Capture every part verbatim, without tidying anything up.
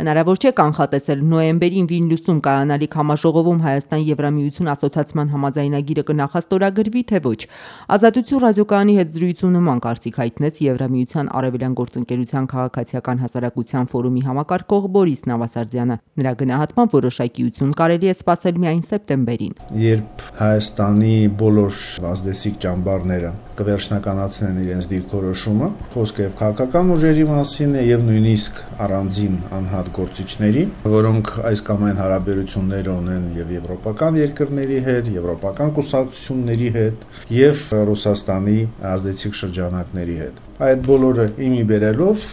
Հնարավոր չէ կանխատեսել նոյեմբերին Վիլնյուսում կայանալիք համաժողովում Հայաստան-Եվրամիություն ասոցիացման համաձայնագիրը կնախաստորագրվի, թե ոչ։ Ազատություն ռադիոկայանի հետ զրույցում նման կարծիք հայտնեց Եվրամիության արևելյան գործընկերության քաղաքացիական հասարակության ֆորումի համակարգող Բորիս Նավասարդյանը։ Նրա գնահատմամբ որոշակիություն կարելի է սպասել միայն սեպտեմբերին։ Երբ Հայաստանի բոլոր ազդեցիկ ճամբարները կվերջնականացնեն իրենց դիրքորոշումը, խոսքը եւ քաղաքական ուժերի մասին է եւ նույնիսկ առանձին անհատ գործիչների, որոնք այս կամ այն հարաբերություններ ունեն եւ եվրոպական երկրների հետ, եվրոպական կուսակցությունների հետ եւ Ռուսաստանի ազդեցիկ շրջանակների հետ։ Այդ բոլորը իմի բերելով,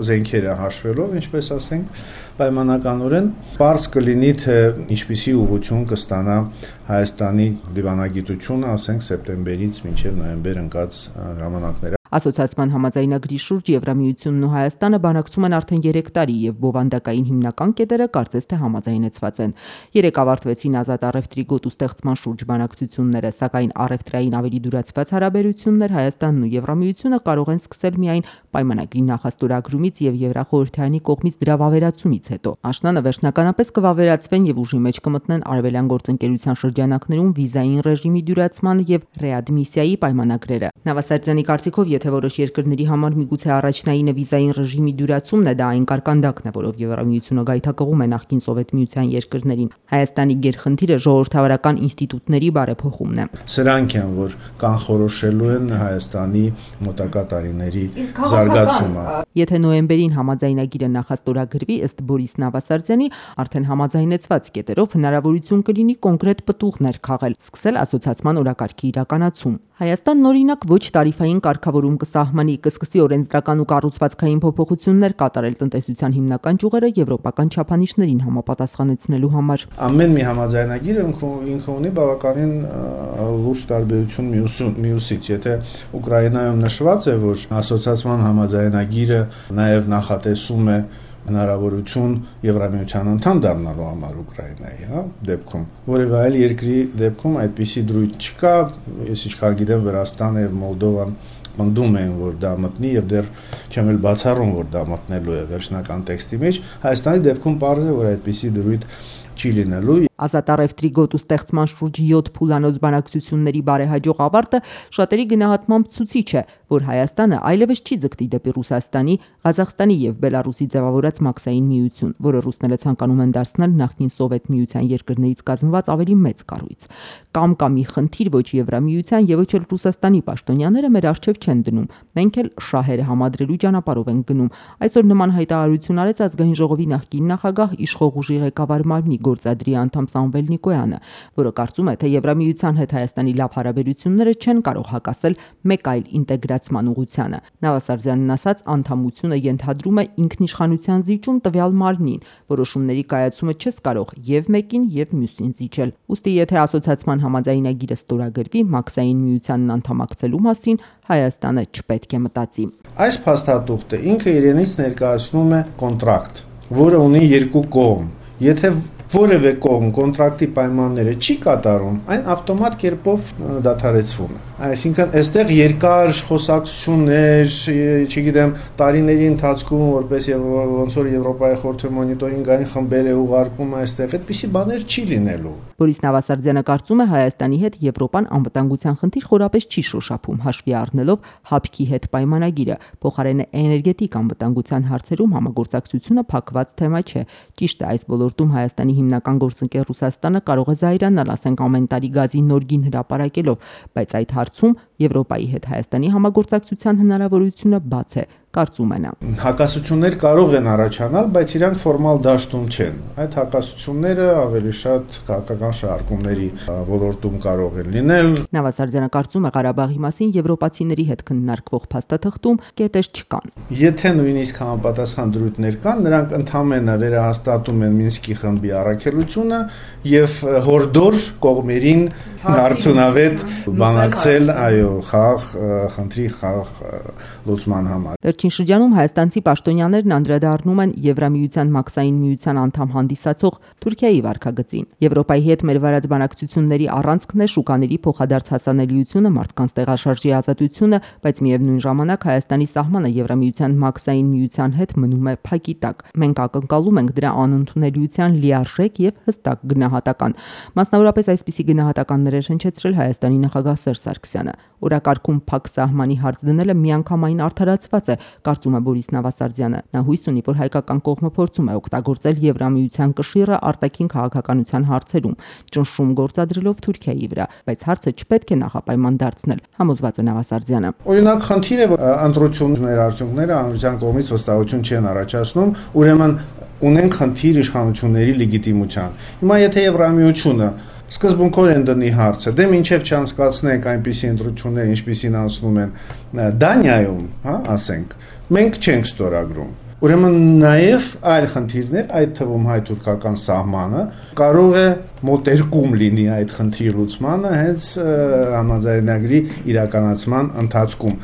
զենքերը հաշվելով, ինչպես ասենք, պայմանականորեն պարզ կլինի, թե ինչպիսի ուղղություն կստանա Հայաստանի դիվանագիտությունը, ասենք, սեպտեմբերից մինչև նոյեմբեր ընկած ժամանակները։ Ասոցիացման համաձայնագրի շուրջ Եվրամիությունն ու Հայաստանը բանակցում են արդեն երեք տարի եւ բովանդակային հիմնական կետերը կարծես թե համաձայնեցված են։ Երեք ավարտվեցին ազատ առևտրի գոտու ստեղծման շուրջ բանակցությունները, սակայն առևտրային ավելի դյուրացված հարաբերություններ Հայաստանն ու Եվրամիությունը կարող են սկսել միայն պայմանագրի նախաստորագրումից եւ Եվրախորհրդարանի կողմից դրա վավերացումից հետո։ Աշնանը վերջնականապես կվավերացվեն եւ ուժի մեջ կմտնեն արևելյան գործընկերության շրջանակներում վիզային ռեժիմի դյուրացման եւ ռեադմիսիայի պայմանագրերը։ Նավասարդյանի կարծիքով, եթե որոշ երկրների համար միգուցե առաջնայինը վիզային ռեժիմի դյուրացումն է, դա այն կարկանդակն է, որով Եվրամիությունը գայթակղում է նախկին Սովետ միության երկրներին։ Հայաստանի գերխնդիրը ժողովրդավարական ինստիտուտների բարեփոխումն է։ Սրանք են, որ կանխորոշելու են Հայաստանի մոտակա տարիների զարգացումը։ Եթե նոյեմբերին համաձայնագիրը նախաստորագրվի, ըստ Բորիս Նավասարդյանի, արդեն համաձայնեցված կետերով հնարավորություն կլինի կոնկրետ պտուղներ քաղել, սկսել ասոցիացման օրակարգի իրականացում։ Հայաստանն օրինակ ոչ տարիֆային կարգավորում կսահմանի, կսկսի օրենսդրական ու կառուցվածքային փոփոխություններ կատարել տնտեսության հիմնական ճյուղերը եվրոպական չափանիշներին համապատասխանեցնելու համար։ Ամեն մի համաձայնագիր ինքը ունի բավականին լուրջ տարբերություն մյուսից։ Եթե Ուկրաինայում նշված է, որ ասոցիացման համաձայնագիրը նաև նախատեսում է հնարավորություն Եվրամիության անդամ դառնալու համար Ուկրաինայի, հա, դեպքում, որևէ այլ երկրի դեպքում այդպիսի դրույթ չկա, ես ինչքան գիտեմ Վրաստանը եւ Մոլդովան պնդում են, որ դա մտնի եւ դեռ չեմ էլ բացառում, որ դա մտնելու է վերջնական տեքստի մեջ։ Հայաստանի դեպքում պարզ է, որ այդպիսի դրույթ չի լինելու։ Ազատ առևտրի գոտու ստեղծման շուրջ յոթ փուլանոց բանակցությունների բարեհաջող ավարտը շատերի գնահատմամբ ցուցիչ է, որ Հայաստանը այլևս չի ձգտի դեպի Ռուսաստանի, Ղազախստանի եւ Բելարուսի ձևավորած մաքսային միություն, որը ռուսները ցանկանում են դարձնել նախկին Սովետ միության երկրներից կազմված ավելի մեծ կառույց։ Կամ կա մի խնդիր, ոչ Եվրամիության եւ ոչ էլ Ռուսաստանի պաշտոնյաները մեր առջեւ չեն դնում։ Մենք էլ շահերը համադրելու ճանապարհով ենք գնում։ Այսօր նման հայտարարություն արեց ազգային ժողովի նախկին նախագահ իշխող ուժի ղեկավար Մարմնի գործադրի անդամ Սամվել Նիկոյանը, որը կարծում է, թե Եվրամիության հետ Հայաստանի լավ հարաբերությունները չեն կարող հակասել մեկ այլ ինտեգրացման ուղղությանը։ Նավասարդյանն ասաց, անդամությունը ենթադրում է ինքնիշխանության զիջում տվյալ մարմնին, որոշումների կայացումը չես կարող եւ մեկին եւ մյուսին զիջել։ Ուստի եթե ասոցիացման համաձայնագիրը ստորագրվի, մաքսային միությանն անդամակցելու մասին Հայաստանը չպետք է մտածի։ Այս փաստաթուղթը ինքը իրենից ներկայացնում է կոնտրակտ, որը ունի երկու կողմ։ Եթե որևէ կողմ կոնտրակտի պայմանները չի կատարում, այն ավտոմատ կերպով դադարեցվում է։ Այսինքն, այստեղ երկար խոսակցություններ, չգիտեմ, տարիների ընթացքում, որպես եւ ոնց որ Եվրոպայի խորհրդի մոնիտորինգային խմբեր է ուղարկում այստեղ, այդպիսի բաներ չի լինելու։ Բորիս Նավասարդյանը կարծում է, Հայաստանի հետ Եվրոպան անվտանգության խնդիր խորապես չի շոշափում, հաշվի առնելով հապկի հետ պայմանագիրը, փոխարենը էներգետիկ անվտանգության հարցերում համագործակցությունը փակված թեմա չէ։ Ճիշտ է, այս ոլորտում Հայաստանի հիմնական գործընկեր Ռուսաստանը կարող է զայրանալ, ասենք, ամեն տարի գազի նոր գին հրապարակելով, բայց այդ հարցում Եվրոպայի հետ Հայաստանի համագործակցության հնարավորությունը բաց է, կարծում է նա։ Հակասություններ կարող են առաջանալ, բայց իրանք ֆորմալ դաշտում չեն։ Այդ հակասությունները ավելի շատ քաղաքական շարժումների ոլորտում կարող են լինել։ Նավասարդյանը կարծում է, Ղարաբաղի մասին եվրոպացիների հետ քննարկվող փաստաթղթում կետեր չկան։ Եթե նույնիսկ համապատասխան դրույթներ կան, նրանք ընդհանրապես վերահաստատում են Մինսկի խմբի առաքելությունը եւ հորդոր կողմերին արդյունավետ բանակցել, այո, այո, խաղ խնդրի խաղ լուծման համար։ Վերջին շրջանում հայաստանցի պաշտոնյաներն անդրադառնում են Եվրամիության մաքսային միության անդամ հանդիսացող Թուրքիայի վարքագծին։ Եվրոպայի հետ մեր վարած բանակցությունների առանցքն է շուկաների փոխադարձ հասանելիությունը, մարդկանց տեղաշարժի ազատությունը, բայց միևնույն ժամանակ Հայաստանի սահմանը Եվրամիության մաքսային միության հետ մնում է փակի տակ։ Մենք ակնկալում ենք դրա անընդունելիության լիարժեք եւ հստակ գնահատական։ Մասնավորապես այսպիսի գնահատականներ էր հնչեցրել Հայաստանի նախագահ Սերժ Սարգսյանը։ Օրակարգում փակ սահմանի հարց դնելը միանգամայն արդարացված է, կարծում է Բորիս Նավասարդյանը։ Նա հույս ունի, որ հայկական կողմը փորձում է օգտագործել Եվրամիության կշիռը արտաքին քաղաքականության հարցերում, ճնշում գործադրելով Թուրքիայի վրա, բայց հարցը չպետք է նախապայման դարձնել, համոզված է Նավասարդյանը։ Օրինակ, խնդիրը, որ ընտրությունների արդյունքները հանրության կողմից վստահություն չեն առաջացնում, ուրեմն ունենք խնդիր իշխանությունների լեգիտիմության։ Հիմա եթե Եվրամիությունը սկզբունքորեն դնի հարցը, դե մինչև չանցկացնենք այնպիսի ընտրություններ, ինչպիսին անցնում են Դանիայում, հա, ասենք, մենք չենք ստորագրում։ Ուրեմն նաև այլ խնդիրներ, այդ թվում հայ-թուրքական սահմանը, կարող է մոտերկում լինի այդ խնդրի լուծմանը հենց համաձայնագրի իրականացման ընթացքում։